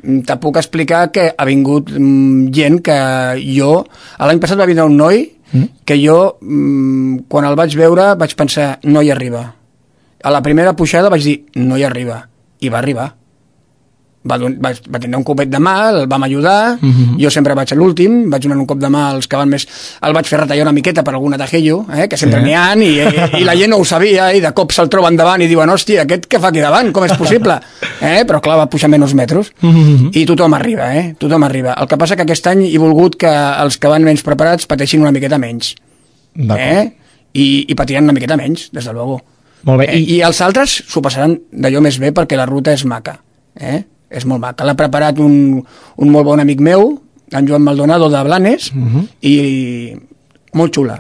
te puc explicar que ha vingut gent que jo... L'any passat va vindre un noi que jo, quan el vaig veure, vaig pensar, no hi arriba. A la primera pujada vaig dir, no hi arriba. I va arribar. Va tindre un copet de mà, el vam ajudar, jo sempre vaig a l'últim, vaig donar un cop de mà als que van més... El vaig fer retallar una miqueta per alguna tajello, que sempre n'hi ha, i la gent no ho sabia, i de cop se'l troben davant i diuen, hòstia, aquest què fa aquí davant? Com és possible? Però clar, va pujar menys metres, i tothom arriba, tothom arriba. El que passa que aquest any he volgut que els que van menys preparats pateixin una miqueta menys. I patiran una miqueta menys, des de luego. Molt bé. I els altres s'ho passaran d'allò més bé perquè la ruta és maca, és molt maca. L'ha preparat un molt bon amic meu, en Joan Maldonado de Blanes, i molt xula.